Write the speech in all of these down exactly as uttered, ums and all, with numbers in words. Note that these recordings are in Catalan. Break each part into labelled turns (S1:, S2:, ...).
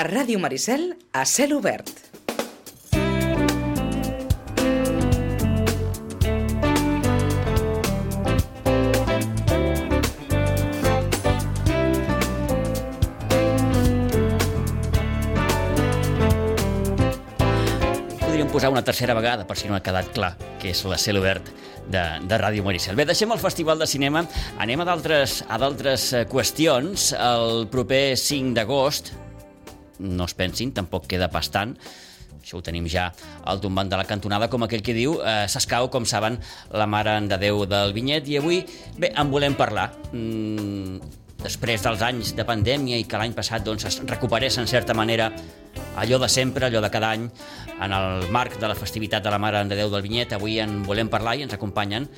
S1: A Ràdio Maricel, a cel obert.
S2: Podríem posar una tercera vegada, per si no ha quedat clar, que és la cel obert de, de Ràdio Maricel. Bé, deixem el Festival de Cinema, anem a d'altres a d'altres qüestions. El proper cinc d'agost, no es pensin, tampoc queda pas tant, això ho tenim ja al tombant de la cantonada, com aquell que diu, eh, s'escau, com saben, la Mare de Déu del Vinyet, i avui, bé, en volem parlar. Mm, després dels anys de pandèmia i que l'any passat doncs, es recuperés en certa manera allò de sempre, allò de cada any, en el marc de la festivitat de la Mare de Déu del Vinyet, avui en volem parlar i ens acompanyen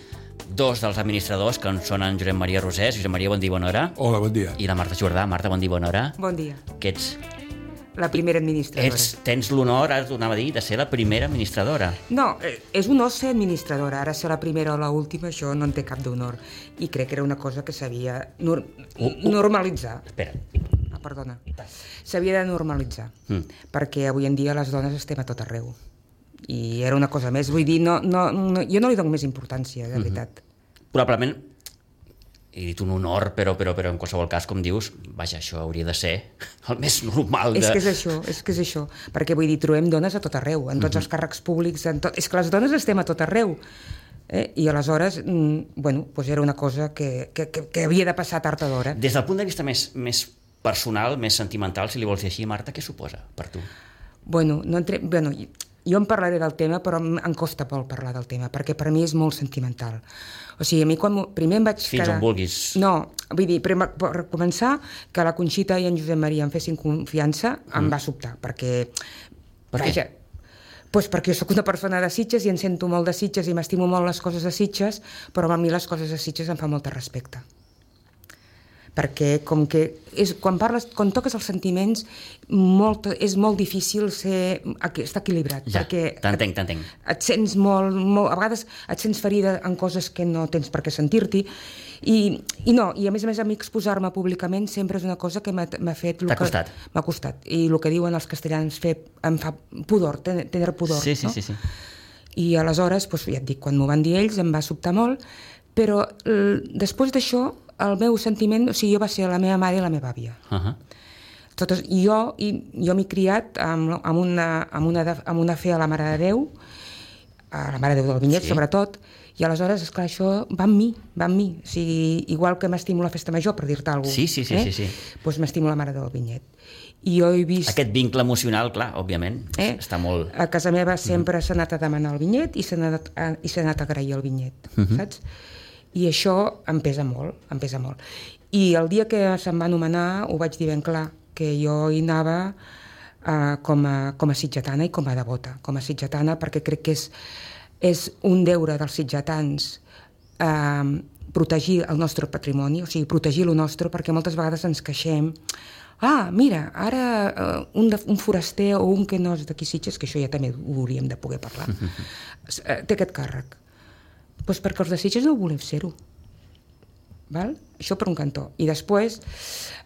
S2: dos dels administradors, que són en Josep Maria Rosés. Josep Maria, bon dia, bona hora.
S3: Hola, bon dia.
S2: I la Marta Jordà. Marta, bon dia, bona hora.
S4: Bon dia.
S2: Que ets...
S4: La primera administradora.
S2: Ets, tens l'honor, ara t'ho anava a dir, de ser la primera administradora.
S4: No, és un honor ser administradora. Ara ser la primera o l'última, això no en té cap d'honor. I crec que era una cosa que s'havia nor
S2: uh, uh,
S4: normalitzar.
S2: Espera.
S4: Ah, perdona. S'havia de normalitzar. Mm. Perquè avui en dia les dones estem a tot arreu. I era una cosa més. Vull dir, no, no, no, jo no li dono més importància, de veritat.
S2: Mm-hmm. Probablement, he dit un honor, però, però, però en qualsevol cas, com dius, vaja, això hauria de ser el més normal. De...
S4: És que és això, és que és això. Perquè vull dir, trobem dones a tot arreu, en tots mm-hmm. els càrrecs públics, en tot... és que les dones estem a tot arreu. Eh? I aleshores, mm, bueno, doncs era una cosa que, que, que, que havia de passar tard o d'hora.
S2: Des del punt de vista més, més personal, més sentimental, si li vols dir així, Marta, què suposa per tu?
S4: Bueno, no entre... bueno, jo en parlaré del tema, però em costa molt parlar del tema, perquè per mi és molt sentimental. O sigui, a mi quan primer em vaig
S2: Fins
S4: quedar...
S2: on vulguis.
S4: No, vull dir, per, per començar, que la Conxita i en Josep Maria em fessin confiança, mm. em va sobtar, perquè...
S2: Per
S4: vaja,
S2: què?
S4: Pues perquè jo sóc una persona de Sitges i em sento molt de Sitges i m'estimo molt les coses de Sitges, però a mi les coses de Sitges em fa molt de respecte. Perquè com que és, quan parles, quan toques els sentiments, molt, és molt difícil ser, estar equilibrat.
S2: Ja,
S4: perquè
S2: t'entenc, t'entenc.
S4: Et sents molt, molt, a vegades et sents ferida en coses que no tens per què sentir-t'hi, i, i no, i a més a més a mi exposar-me públicament sempre és una cosa que m'ha fet...
S2: T'ha costat.
S4: M'ha costat, i el que diuen els castellans fer, em fa pudor, tenir pudor.
S2: Sí, sí,
S4: no?
S2: sí, sí.
S4: I aleshores, doncs, ja et dic, quan m'ho van dir ells em va sobtar molt, però després d'això el meu sentiment, o sigui, jo va ser la meva mare i la meva àvia.
S2: Uh-huh.
S4: Totes, i jo, i, jo m'he criat amb, amb, una, amb, una, amb una fe a la Mare de Déu, a la Mare de Déu del Vinyet, sí. Sobretot, i aleshores, esclar, això va amb mi, va amb mi. O sigui, igual que m'estimo la festa major, per dir-te alguna cosa.
S2: Sí, sí, sí,
S4: eh?
S2: sí, sí.
S4: Doncs m'estimo la Mare del Vinyet. I jo he vist...
S2: Aquest vincle emocional, clar, òbviament,
S4: eh?
S2: està molt...
S4: A casa meva sempre mm-hmm. s'ha anat a demanar el vinyet i s'ha anat, a, i s'ha anat a agrair el vinyet, mm-hmm. saps? I això em pesa molt, em pesa molt. I el dia que se'm va anomenar ho vaig dir ben clar, que jo hi anava uh, com, a, com a sitgetana i com a devota. Com a sitgetana perquè crec que és, és un deure dels sitgetans uh, protegir el nostre patrimoni, o sigui, protegir el nostre, perquè moltes vegades ens queixem. Ah, mira, ara uh, un, de, un foraster o un que no és d'aquí Sitges, que això ja també ho hauríem de poder parlar, uh, té aquest càrrec. Doncs perquè els de Sitges no volem ser-ho. Val? Això per un cantó. I després,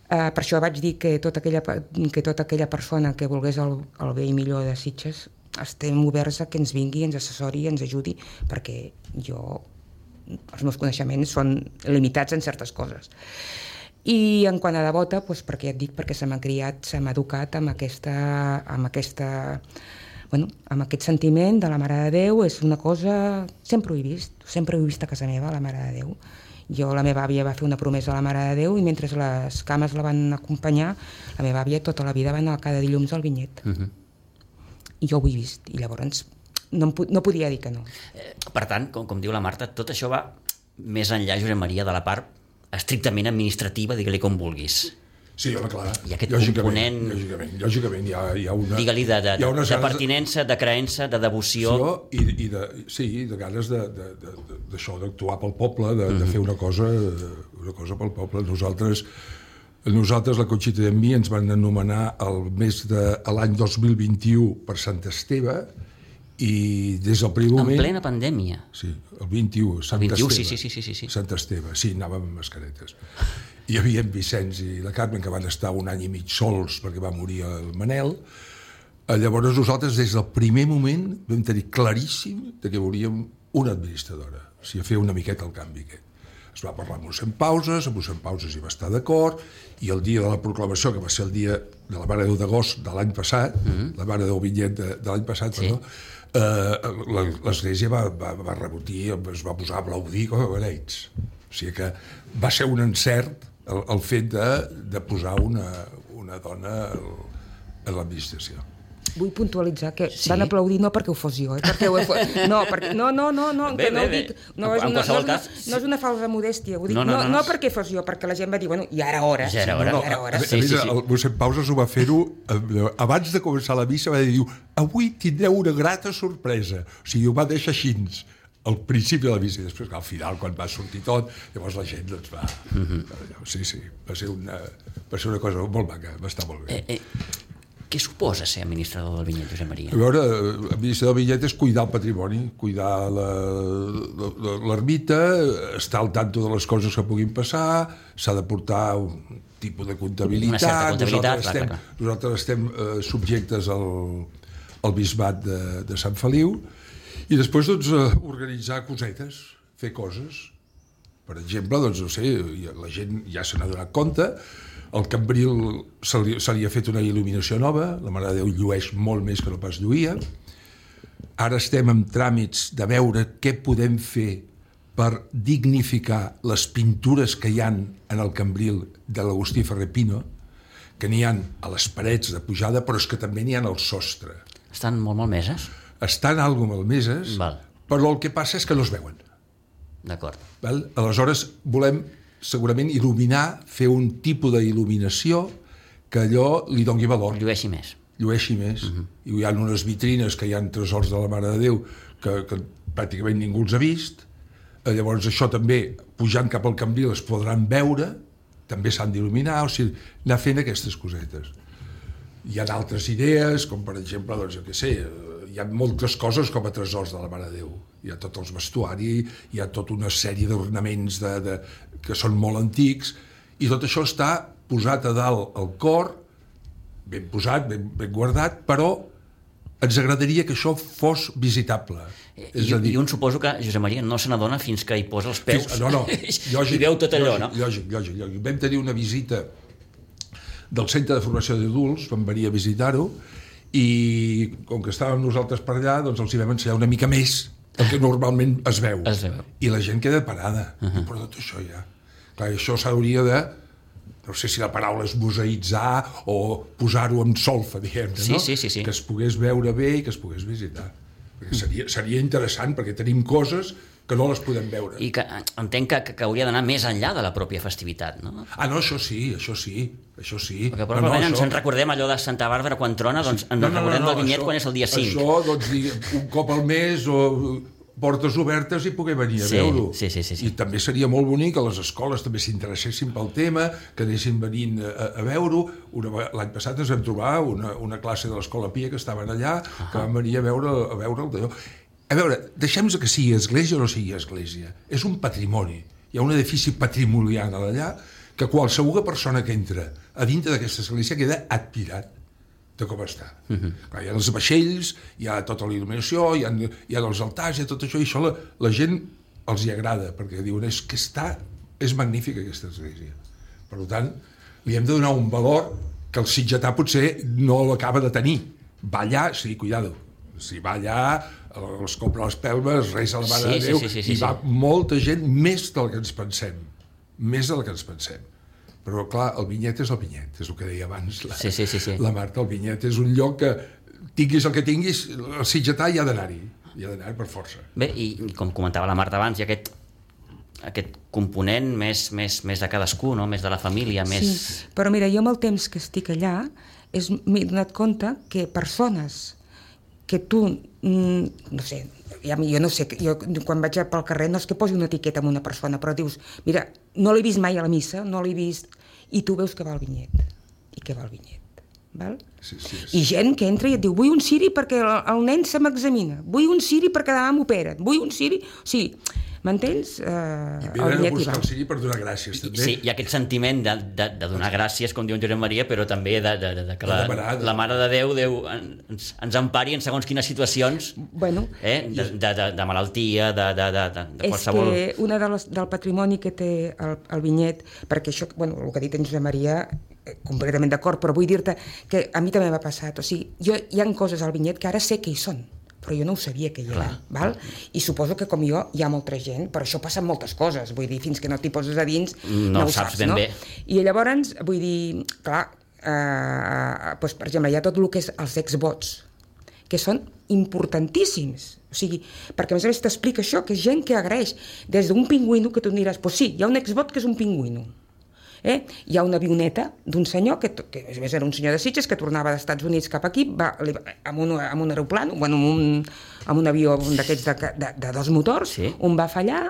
S4: eh, per això vaig dir que tota aquella, que tota aquella persona que volgués el, el bé i millor de Sitges estem oberts a que ens vingui, ens assessori, ens ajudi, perquè jo, els meus coneixements són limitats en certes coses. I en quant a devota, doncs perquè ja et dic, perquè se m'ha criat, se m'ha educat amb aquesta... Amb aquesta bueno, amb aquest sentiment de la Mare de Déu, és una cosa... Sempre ho he vist, sempre ho he vist a casa meva, la Mare de Déu. Jo, la meva àvia va fer una promesa a la Mare de Déu i mentre les cames la van acompanyar, la meva àvia tota la vida va anar cada dilluns al vinyet. Uh-huh. I jo ho he vist, i llavors no, no podia dir que no.
S2: Eh, per tant, com, com diu la Marta, tot això va més enllà, Josep Maria, de la part estrictament administrativa, digue-li com vulguis.
S3: Sí, home, clar.
S2: I aquest
S3: lògicament,
S2: component...
S3: Lògicament, lògicament hi ha, hi ha una...
S2: Digue-li de, de, de, de pertinença, de creença, de devoció...
S3: I, i de, sí, de ganes d'això, d'actuar pel poble, de, mm-hmm. de fer una cosa, una cosa pel poble. Nosaltres, nosaltres la Conxita i a mi, ens van anomenar el mes de l'any dos mil vint-i-u per Sant Esteve I des del primer moment...
S2: En plena pandèmia.
S3: Sí, el vint-i-u, Sant
S2: el vint-i-u,
S3: Esteve.
S2: Sí, sí, sí, sí, sí.
S3: Sant Esteve, sí, anàvem amb mascaretes. Hi havia en Vicenç i la Carmen, que van estar un any i mig sols perquè va morir el Manel. Llavors nosaltres, des del primer moment, vam tenir claríssim que volíem una administradora, o sigui, fer una miqueta el canvi aquest. Es va parlar amb mossèn Pauses, amb mossèn Pauses hi va estar d'acord, i el dia de la proclamació, que va ser el dia de la Mare de Déu d'agost de l'any passat, mm-hmm. la Mare de Déu Vinyet de, de l'any passat, sí. perdó, eh, l'Església va, va, va rebotir, es va posar a aplaudir com a beneits. O sigui que va ser un encert el, el fet de, de posar una, una dona a l'administració.
S4: Vull puntualitzar que
S2: Sí.
S4: van aplaudir no perquè ho fos jo, eh? perquè ho he fos... no, perquè... no, no, no, no,
S2: Bé,
S4: que no
S2: bé,
S4: ho dic, no,
S2: bé.
S4: és
S2: En
S4: una, no,
S2: qualsevol
S4: és una,
S2: cas,
S4: no és una falsa modèstia, ho dic,
S2: No,
S4: no,
S2: no,
S4: no,
S2: no,
S4: no perquè fos jo, perquè la gent va dir, bueno, ja era hora.
S2: Ja era hora.
S3: No,
S4: Ja era hora.
S3: a,
S2: Sí,
S3: a,
S2: sí,
S3: a,
S2: sí.
S3: el mossèn Pauses ho va fer-ho eh, abans de començar la missa, va dir, avui tindreu una grata sorpresa. O sigui, ho va deixar així al principi de la missa, i després al final, quan va sortir tot, llavors la gent doncs, va... Mm-hmm. Sí, sí, va ser, una, va ser una cosa molt maca, va estar molt bé.
S2: Eh, eh, què suposa ser administrador del vinyet, Josep Maria?
S3: A veure, administrador del vinyet és cuidar el patrimoni, cuidar l'ermita, estar al tanto de les coses que puguin passar, s'ha de portar un tipus de comptabilitat.
S2: Una certa comptabilitat,
S3: nosaltres estem,
S2: clar, clar.
S3: nosaltres estem eh, subjectes al, al bisbat de, de Sant Feliu, i després doncs, eh, organitzar cosetes, fer coses. Per exemple, doncs, no sé, la gent ja se n'ha donat compte, al Cambril se li, se li ha fet una il·luminació nova, la Mare de Déu llueix molt més que no pas lluïa. Ara estem en tràmits de veure què podem fer per dignificar les pintures que hi han en el Cambril de l'Agustí Ferrer Pino, que n'hi han a les parets de pujada, però és que també n'hi ha al sostre.
S2: Estan molt malmeses?
S3: Estan algo malmeses,
S2: Val.
S3: però el que passa és que no es veuen.
S2: D'acord.
S3: Val? Aleshores, volem segurament il·luminar, fer un tipus d'il·luminació que allò li doni valor.
S2: Llueixi més.
S3: Llueixi més. Uh-huh. I hi ha unes vitrines que hi ha tresors de la Mare de Déu que, que pràcticament ningú els ha vist. Llavors això també, pujant cap al Cambril, es podran veure, també s'han d'il·luminar, o sigui, anar fent aquestes cosetes. Hi ha altres idees, com per exemple, doncs, jo què sé, hi ha moltes coses com a tresors de la Mare de Déu. Hi ha tot els vestuari, hi ha tota una sèrie d'ornaments de, de, que són molt antics, i tot això està posat a dalt al cor, ben posat, ben, ben guardat, però ens agradaria que això fos visitable.
S2: I,
S3: És a dir,
S2: I un suposo que Josep Maria no se n'adona fins que hi posa els peus.
S3: Fins, no, no, lògic,
S2: i veu tot allò,
S3: lògic,
S2: no?
S3: Lògic, lògic, lògic. Vam tenir una visita del Centre de Formació d'Adults, vam venir a visitar-ho, i com que estàvem nosaltres per allà, doncs els hi vam ensenyar una mica més del que normalment es veu.
S2: Es veu.
S3: I la gent queda parada. Uh-huh. Però tot això ja... Clar, això s'hauria de... No sé si la paraula és museïtzar o posar-ho en solfa, diguem-ne,
S2: Sí,
S3: no?
S2: sí, sí, sí.
S3: Que es pogués veure bé i que es pogués visitar. Perquè seria, seria interessant, perquè tenim coses que no les podem veure.
S2: I que entenc que, que hauria d'anar més enllà de la pròpia festivitat, no?
S3: Ah, no, això sí, això sí, això sí.
S2: Perquè probablement
S3: no, no,
S2: ens en recordem allò de Santa Bàrbara quan trona, doncs ens
S3: no, no,
S2: recordem
S3: no, no,
S2: del vinyet
S3: això,
S2: quan és el dia cinc.
S3: Això, doncs, digue, un cop al mes o portes obertes i poder venir a
S2: Sí,
S3: veure-ho.
S2: sí, sí, sí, sí.
S3: I també seria molt bonic que les escoles també s'interessessin pel tema, que anessin venint a, a veure-ho. Una- L'any passat ens vam trobar una, una classe de l'Escola Pia que estaven allà, uh-huh. que van venir a veure, a veure el d'allò. A veure, deixem que sigui església o no sigui església. És un patrimoni. Hi ha un edifici patrimonial allà que qualsevol persona que entra a dintre d'aquesta església queda admirat de com està. Uh-huh. Clar, hi ha els vaixells, hi ha tota la il·luminació, hi ha, hi ha els altars, hi ha tot això, i això la, la gent els hi agrada, perquè diuen, és que està, és magnífica aquesta església. Per tant, li hem de donar un valor que el sitgetà potser no l'acaba de tenir. Va allà, sí, cuidado, si va allà, els compra les pelmes, resa la Mare
S2: Sí,
S3: de
S2: sí,
S3: Déu,
S2: sí, sí, sí,
S3: i va molta gent més del que ens pensem. Més del que ens pensem. Però, clar, el vinyet és el vinyet, és el que deia abans la,
S2: Sí, sí, sí, sí.
S3: la Marta. El vinyet és un lloc que, tinguis el que tinguis, el sitgetà hi ha d'anar-hi. Hi ha d'anar-hi per força.
S2: Bé, i com comentava la Marta abans, hi ha aquest, aquest component més, més, més de cadascú, no? Més de la família, més...
S4: Sí, però mira, jo amb el temps que estic allà és, m'he donat compte que persones que tu, mm, no sé, ja, jo no sé, jo quan vaig pel carrer no és que posi una etiqueta amb una persona, però dius, mira, no l'he vist mai a la missa, no l'he vist, i tu veus que va el vinyet, i que va el vinyet, val?
S3: Sí, sí, sí.
S4: I gent que entra i et diu vull un ciri perquè el, el nen se m'examina, vull un ciri perquè demà m'operen, vull un ciri... O sigui, m'entens? Uh,
S3: I venen a buscar el ciri per donar gràcies, també.
S2: Sí, hi ha aquest sentiment de, de, de donar gràcies, com diu en Josep Maria, però també de, de, de, de que la, la Mare de Déu, Déu ens, ens empari en segons quines situacions,
S4: bueno,
S2: eh? de, de, de, de malaltia, de, de, de, de qualsevol...
S4: És que una de les, del patrimoni que té el, el vinyet, perquè això, bueno, el que ha dit en Josep Maria, completament d'acord, però vull dir-te que a mi també m'ha passat. O sigui, jo, hi ha coses al vinyet que ara sé que hi són, però jo no ho sabia que hi eren, val? I suposo que com jo hi ha molta gent, però això passa amb moltes coses, vull dir, fins que no t'hi poses a dins no,
S2: no
S4: ho
S2: saps,
S4: saps,
S2: ben
S4: no?
S2: bé.
S4: I llavors, vull dir, clar, eh, doncs, per exemple, hi ha tot el que és els exvots, que són importantíssims, o sigui, perquè a més a més t'explica això, que és gent que agraeix, des d'un pingüino que tu em diràs, doncs sí, hi ha un exvot que és un pingüino. Eh? Hi ha una avioneta d'un senyor, que, que a més era un senyor de Sitges, que tornava dels Estats Units cap aquí, va, li, amb, un, amb un aeroplan, bueno, amb, un, amb un avió d'aquests de, de, de dos motors,
S2: sí.
S4: Un va fallar,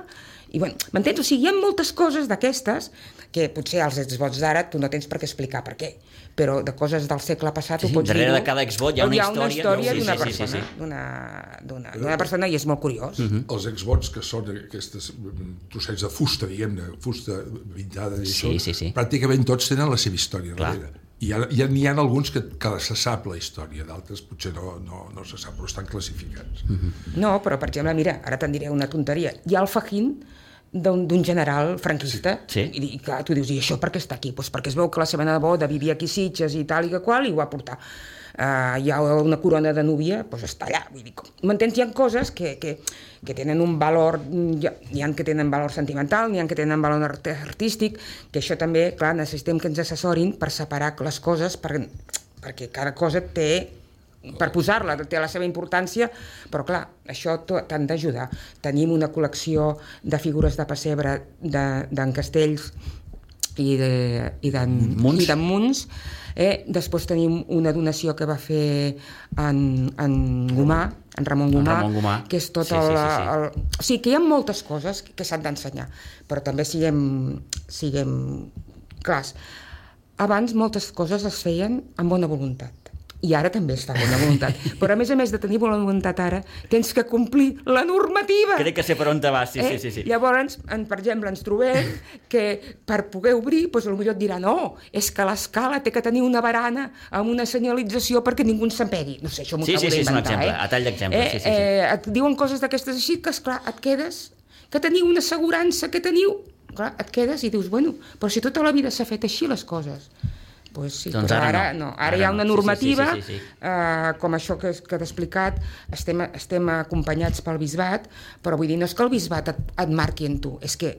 S4: i bueno, m'entens? O sigui, hi ha moltes coses d'aquestes que potser als exvots d'ara tu no tens per què explicar per què, però de coses del segle passat
S2: sí,
S4: ho pots dir.
S2: Darrere de cada exvot hi ha una
S4: hi ha una
S2: història,
S4: història
S2: sí,
S4: d'una
S2: sí,
S4: persona,
S2: sí, sí.
S4: d'una, d'una, d'una persona, i és molt curiós.
S3: Uh-huh. Els exvots, que són aquestes trossets de fusta, diguem-ne, fusta pintada, i
S2: sí,
S3: això,
S2: sí, sí.
S3: pràcticament tots tenen la seva història darrere. I hi ha, hi ha alguns que, que se sap la història, d'altres potser no, no, no se sap, però estan classificats.
S2: Uh-huh.
S4: No, però per exemple, mira, ara te'n diré una tonteria. Hi ha el Fajín d'un general franquista,
S2: sí.
S4: I, i clar, tu dius, i això per què està aquí? Pues perquè es veu que la seva neboda vivia aquí a Sitges i tal i que qual, i ho va portar. Uh, hi ha una corona de núvia, doncs està allà. Vull dir, m'entens? Hi ha coses que, que, que tenen un valor, hi ha, hi ha que tenen valor sentimental, n'hi ha que tenen valor artístic, que això també, clar, necessitem que ens assessorin per separar les coses, per, perquè cada cosa té, per posar-la, té la seva importància, però clar, això t'han d'ajudar. Tenim una col·lecció de figures de pessebre d'en Castells i d'en Muns. Eh? Després tenim una donació que va fer en, en Gomà, en Ramon Gomà,
S2: Ramon Gomà.
S4: Que és tot
S2: sí, sí,
S4: el,
S2: sí, sí.
S4: el... O sigui, que hi ha moltes coses que s'han d'ensenyar, però també siguem, siguem clars. Abans moltes coses es feien amb bona voluntat. I ara també es fa bona voluntat. Però a més a més de tenir bona voluntat ara, tens que complir la normativa.
S2: Crec que sé per on te vas, sí,
S4: eh?
S2: sí, sí, sí.
S4: Llavors, en, per exemple, ens trobem que per poder obrir, doncs potser et dirà no, és que l'escala té que tenir una barana amb una senyalització perquè ningú ens s'empegui. No sé, això m'ho
S2: sí,
S4: acabo
S2: sí, sí,
S4: d'inventar.
S2: Sí, sí, és un exemple,
S4: eh?
S2: a tall d'exemple.
S4: Eh,
S2: sí, sí, sí.
S4: Eh, et diuen coses d'aquestes així que, esclar, et quedes, que teniu una assegurança, que teniu... Clar, et quedes i dius, bueno, però si tota la vida s'ha fet així les coses... Pues sí,
S2: doncs
S4: però
S2: ara,
S4: ara
S2: no.
S4: no. Ara,
S2: ara
S4: hi ha una
S2: no.
S4: normativa,
S2: sí, sí, sí, sí, sí.
S4: Eh, com això que, que t'he explicat, estem, estem acompanyats pel bisbat, però vull dir, no és que el bisbat et, et marqui en tu, és que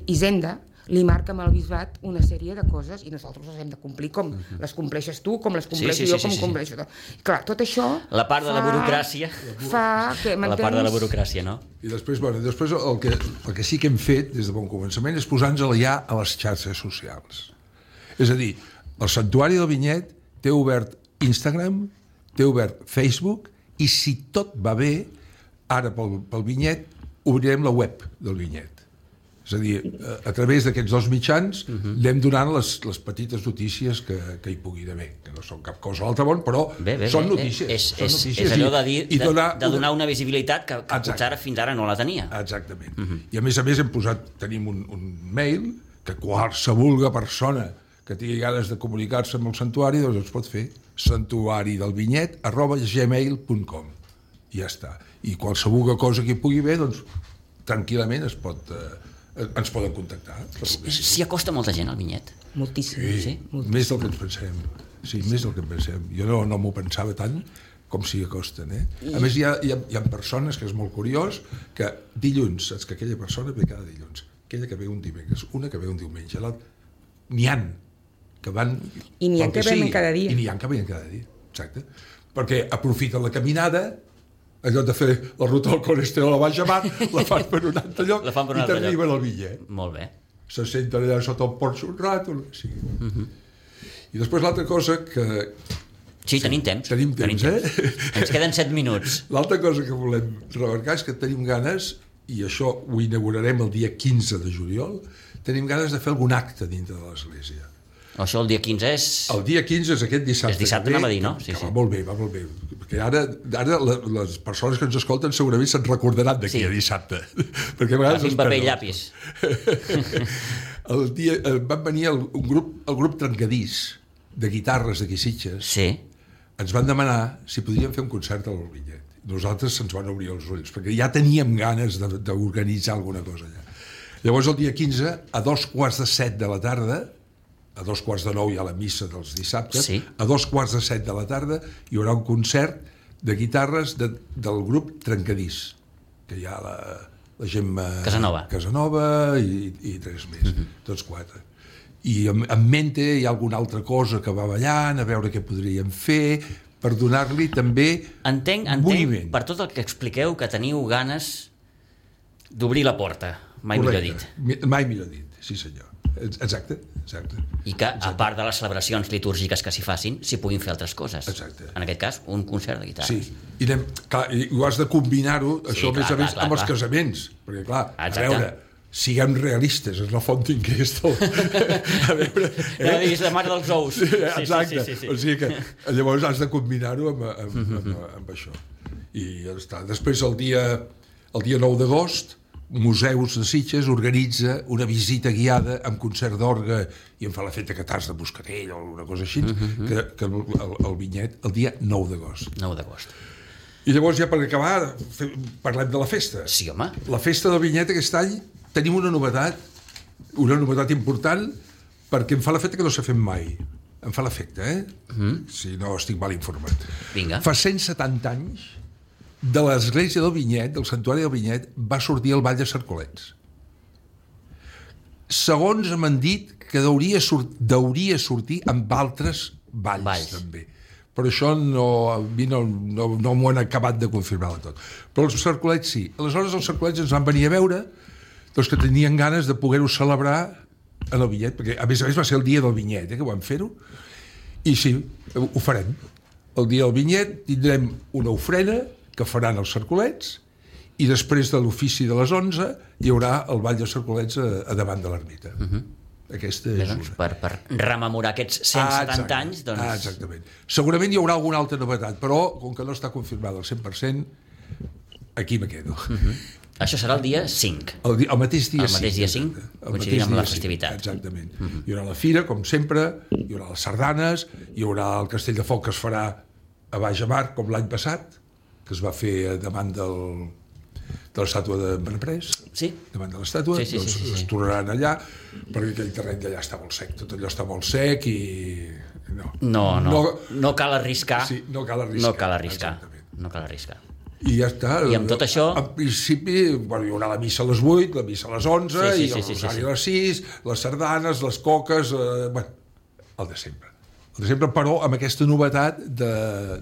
S4: Hisenda li marca amb el bisbat una sèrie de coses i nosaltres les hem de complir com uh-huh. les compleixes tu, com les compleixo
S2: sí, sí, sí,
S4: jo, com
S2: sí, sí.
S4: compleixo tot. Clar, tot això...
S2: La part de
S4: fa,
S2: la burocràcia.
S4: Fa que,
S2: la part de la burocràcia, no?
S3: I després, bueno, després el, que, el que sí que hem fet des de bon començament és posar-nos ja a les xarxes socials. És a dir, el Santuari del Vinyet té obert Instagram, té obert Facebook, i si tot va bé, ara pel, pel Vinyet obrirem la web del Vinyet. És a dir, a, a través d'aquests dos mitjans uh-huh. anem donant les, les petites notícies que, que hi pugui haver, que no són cap cosa a l'altre món, però
S2: bé, bé,
S3: són
S2: bé,
S3: notícies.
S2: És,
S3: són
S2: és,
S3: notícies
S2: és allò de, dir,
S3: i,
S2: de,
S3: i donar,
S2: de donar una visibilitat que, que potser ara fins ara no la tenia.
S3: Exactament. Uh-huh. I a més a més hem posat, tenim un, un mail que qualsevol persona que tingui ganes de comunicar-se amb el santuari, doncs es pot fer santuaridelvinyet arroba gmail punt com. I ja està. I qualsevol cosa que hi pugui haver, doncs tranquil·lament es pot, eh, ens poden contactar.
S2: S'hi acosta molta gent al Vinyet?
S4: Moltíssim.
S3: Sí,
S4: sí? Moltíssim.
S3: Més del que ens pensem. Sí, més del que ens pensem. Jo no, no m'ho pensava tant com s'hi acosten. Eh? A més, hi ha, hi, ha, hi ha persones, que és molt curiós, que dilluns, saps que aquella persona ve cada dilluns, aquella que ve un dimecres, una que ve un diumenge, l'altra... N'hi ha que van...
S4: I n'hi ha que venen cada dia.
S3: I n'hi ha que venen cada dia, exacte. Perquè aprofiten la caminada, allò de fer la ruta del colesterol a la Baix Mar, la fan per un altre lloc
S2: un
S3: i t'arriben al Vinyet.
S2: Molt bé.
S3: Se senten allà sota el porxo un rato, sí. Uh-huh. I després l'altra cosa que...
S2: Sí, tenim temps.
S3: Tenim temps,
S2: tenim
S3: eh?
S2: Temps. Ens queden set minuts.
S3: L'altra cosa que volem remarcar és que tenim ganes, i això ho inaugurarem el dia quinze de juliol, tenim ganes de fer algun acte dintre de l'Església.
S2: Això el dia quinze és...
S3: El dia quinze és aquest dissabte.
S2: És dissabte, anava a dir, no? Sí,
S3: que
S2: sí.
S3: Va molt bé, va molt bé. Perquè ara, ara les persones que ens escolten segurament se'n recordaran d'aquí
S2: sí.
S3: a dissabte. Perquè a vegades...
S2: Agafin paper i llapis.
S3: El dia, van venir el, un grup, el grup Trencadís, de guitarres d'aquí Sitges.
S2: Sí.
S3: Ens van demanar si podríem fer un concert a l'Albinyet. Nosaltres se'ns van obrir els ulls, perquè ja teníem ganes d'organitzar alguna cosa allà. Llavors, el dia quinze, a dos quarts de set de la tarda, a dos quarts de nou hi ha la missa dels dissabtes,
S2: sí.
S3: a dos quarts de set de la tarda hi haurà un concert de guitarres de, del grup Trencadís, que hi ha la, la gent...
S2: Casanova.
S3: Casanova i, i tres més,
S2: uh-huh.
S3: tots quatre. I en, en mente hi ha alguna altra cosa que va ballant, a veure què podríem fer, per donar-li també
S2: entenc, entenc,
S3: moviment.
S2: Per tot el que expliqueu, que teniu ganes d'obrir la porta, mai
S3: Correcte.
S2: millor dit.
S3: Mai millor dit, sí senyor. Exacte, exacte.
S2: I que,
S3: exacte.
S2: a part de les celebracions litúrgiques que s'hi facin, s'hi puguin fer altres coses.
S3: Exacte.
S2: En aquest cas, un concert de guitarra.
S3: Sí, i, anem, clar, i ho has de combinar-ho, sí, això
S2: clar,
S3: més a més,
S2: clar,
S3: amb
S2: clar,
S3: els
S2: clar.
S3: casaments, perquè clar,
S2: Exacte.
S3: a veure, siguem realistes, és la font d'inquesta. A veure...
S2: Eh? No diguis la mare dels ous.
S3: Sí, exacte,
S2: sí, sí, sí, sí.
S3: o sigui que llavors has de combinar-ho amb, amb, amb, amb, amb això. I ja està. Després, el dia, el dia nou d'agost, Museus de Sitges organitza una visita guiada amb concert d'orgue i em fa la feta catars de Moscatell o alguna cosa així, uh-huh. que, que el, el Vinyet, el dia nou d'agost.
S2: nou d'agost.
S3: I llavors, ja per acabar, fe, parlem de la festa.
S2: Sí, home.
S3: La festa del Vinyet aquest any tenim una novetat, una novetat important, perquè em fa l'efecte que no s'ha fet mai. Em fa l'efecte, eh? Mm. Si no estic mal informat.
S2: Vinga.
S3: Fa cent setanta anys, de l'església del Vinyet, del santuari del Vinyet, va sortir el ball de Cercolets. Segons m'han dit que deuria, sort, deuria sortir amb altres balls,
S2: Valls.
S3: també. Però això no, a mi no, no, no m'ho han acabat de confirmar del tot. Però els Cercolets sí. Aleshores els Cercolets ens van venir a veure doncs que tenien ganes de poder-ho celebrar en el Vinyet, perquè a més a més va ser el dia del Vinyet, eh, que vam fer-ho, i sí, ho farem. El dia del Vinyet tindrem una ofrena que faran els Cercolets i després de l'ofici de les onze hi haurà el ball de Cercolets a, a davant de l'ermita. Uh-huh. Aquesta és
S2: Bé, doncs,
S3: una.
S2: per, per rememorar aquests cent setanta anys, doncs...
S3: Ah, exactament. Segurament hi haurà alguna altra novetat, però com que no està confirmada al cent per cent, aquí me quedo.
S2: Uh-huh. Això serà el dia cinc.
S3: El, dia, el mateix dia
S2: el mateix
S3: cinc.
S2: dia cinc, coincidirà amb la festivitat.
S3: cinc, exactament. Uh-huh. Hi haurà la fira, com sempre, hi haurà les sardanes, hi haurà el castell de foc que es farà a Baix a Mar, com l'any passat, que es va fer davant del, de l'estàtua de Benaprés,
S2: sí.
S3: davant de l'estàtua,
S2: sí, sí,
S3: doncs
S2: sí, sí, sí.
S3: es tornaran allà, perquè aquell terreny d'allà està molt sec, tot allò està molt sec i... No,
S2: no, no, no, no cal arriscar.
S3: Sí, no cal arriscar.
S2: No cal arriscar.
S3: Exactament.
S2: No cal arriscar.
S3: I ja està.
S2: I amb tot això...
S3: En principi, bueno, hi haurà la missa a les vuit, la missa a les onze,
S2: sí, sí,
S3: i el
S2: sí, sí,
S3: rosari
S2: sí, sí.
S3: a les sis, les sardanes, les coques... Eh, bueno, el de sempre. El de sempre, però amb aquesta novetat de...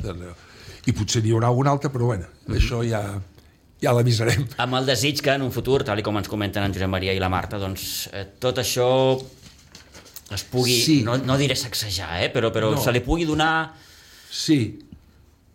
S3: de i potser n'hi haurà alguna altra, però bueno, mm-hmm. això ja, ja l'avisarem.
S2: Amb el desig que en un futur, tal com ens comenten en Josep Maria i la Marta, doncs eh, tot això es pugui,
S3: sí.
S2: no, no diré sacsejar, eh, però, però no. se li pugui donar
S3: sí.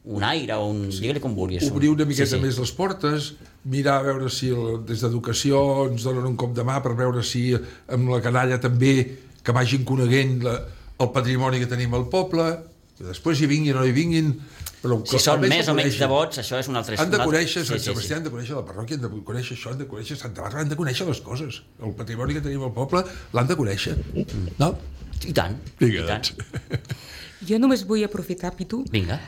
S2: un aire, un, sí. digue-li com vulguis.
S3: Obrir una miqueta
S2: sí, sí.
S3: més les portes, mirar a veure si el, des d'educació ens donen un cop de mà per veure si amb la canalla també que vagin coneguent la, el patrimoni que tenim al poble, que després hi vinguin o no hi vinguin, però
S2: si són més o menys devots, això és un altre...
S3: Han de conèixer Sant
S2: sí,
S3: Sebastià,
S2: sí, sí.
S3: han de conèixer la parròquia, han de conèixer això, han de conèixer Santa Bàrbara, han de conèixer les coses. El patrimoni que tenim al poble l'han de conèixer. No?
S2: I tant.
S3: Vinga,
S2: i tant.
S3: doncs.
S4: Jo només vull aprofitar, Pitu,
S2: Vinga.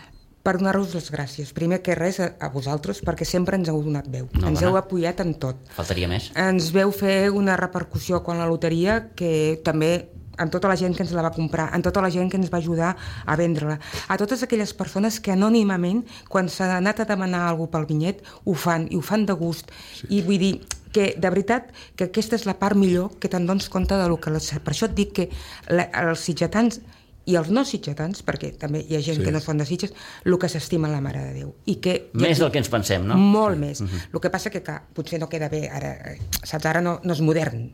S4: per donar-vos les gràcies. Primer que res a, a vosaltres, perquè sempre ens heu donat veu.
S2: No,
S4: ens
S2: bona.
S4: heu apoyat en tot.
S2: Faltaria més.
S4: Ens veu fer una repercussió quan la loteria, que també en tota la gent que ens la va comprar, en tota la gent que ens va ajudar a vendre-la, a totes aquelles persones que anònimament, quan s'ha anat a demanar alguna cosa pel Vinyet, ho fan, i ho fan de gust. Sí. I vull dir que, de veritat, que aquesta és la part millor que te'n dones compte de lo que... Les... Per això et dic que la, els sitgetans i els no sitgetans, perquè també hi ha gent sí. que no són de Sitges, el que s'estima la Mare de Déu. I que,
S2: més del que ens pensem, no?
S4: Molt sí. més.
S2: Uh-huh.
S4: El que passa que, clar, potser no queda bé, ara, saps, ara no, no és modern,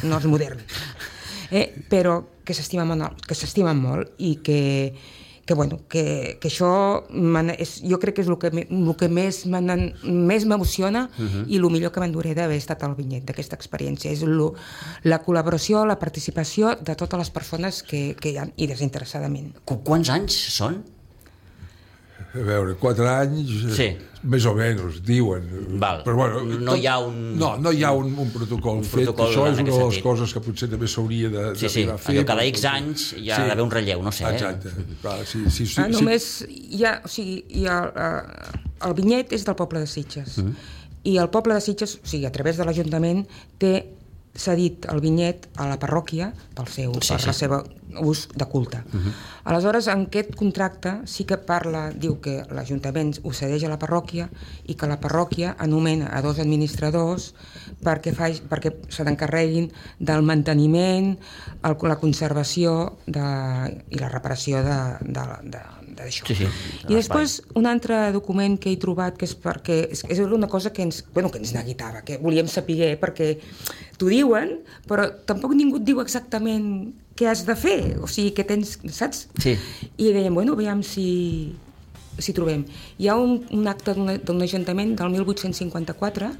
S4: no és modern. Eh, però que s'estimen molt, que s'estimen molt i que, que, bueno, que, que això és, jo crec que és el que, el que més m'emociona uh-huh. i el millor que m'enduré d'haver estat al Vinyet, d'aquesta experiència. És lo, la col·laboració, la participació de totes les persones que, que hi ha, i desinteressadament.
S2: Qu Quants anys són?
S3: A veure, quatre anys, sí. més o menys, diuen.
S2: Val.
S3: Però, bueno,
S2: no
S3: tot,
S2: hi ha un...
S3: No, no hi ha un, un protocol un fet. Protocol això és una de les sentit. coses que potser també s'hauria de,
S2: sí, sí.
S3: d'arribar a fer.
S2: Allò cada X anys hi ha sí. d'haver un relleu, no sé.
S3: Exacte.
S2: Eh?
S3: Clar, sí, sí, sí,
S4: ah, només hi ha... O sigui, hi ha uh, el Vinyet és del poble de Sitges. Mm. I el poble de Sitges, o sigui, a través de l'Ajuntament, té cedit el Vinyet a la parròquia pel seu, sí, per sí. la seva ús de culte. Uh-huh. Aleshores, en aquest contracte sí que parla, diu que l'Ajuntament ho cedeix a la parròquia i que la parròquia anomena a dos administradors perquè, fa, perquè se n'encarreguin del manteniment, el, la conservació de, i la reparació de, de, de, d'això.
S2: Sí, sí,
S4: I després un altre document que he trobat que és perquè és, és una cosa que ens, bueno, que ens neguitava, que volíem saber perquè t'ho diuen, però tampoc ningú et diu exactament què has de fer, o sigui, què tens, saps?
S2: Sí.
S4: I dèiem, bueno, veiem si, si trobem. Hi ha un, un acte d'un ajuntament del mil vuit-cents cinquanta-quatre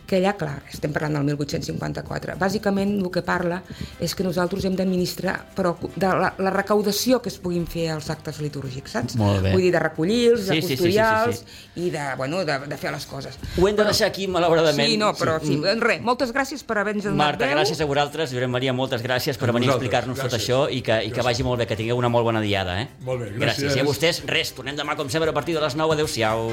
S4: que allà, clar, estem parlant del mil vuit-cents cinquanta-quatre. Bàsicament el que parla és que nosaltres hem d'administrar però de la, la recaudació que es puguin fer als actes litúrgics, saps?
S2: Molt bé.
S4: Vull dir, de recollir-los,
S2: sí,
S4: de custodiar-los
S2: sí, sí, sí, sí.
S4: i de, bueno, de, de fer les coses.
S2: Ho hem de deixar aquí, malauradament.
S4: Sí, no, però sí. sí. Res, moltes gràcies per haver-nos donat
S2: Marta,
S4: veu.
S2: gràcies a vosaltres. Josep Maria, moltes gràcies per venir a explicar-nos tot això i que, i que vagi molt bé, que tingueu una molt bona diada. Eh?
S3: Molt bé, gràcies.
S2: Gràcies. I a vostès, res, tornem demà com sempre a partir de les nou. Adéu-siau.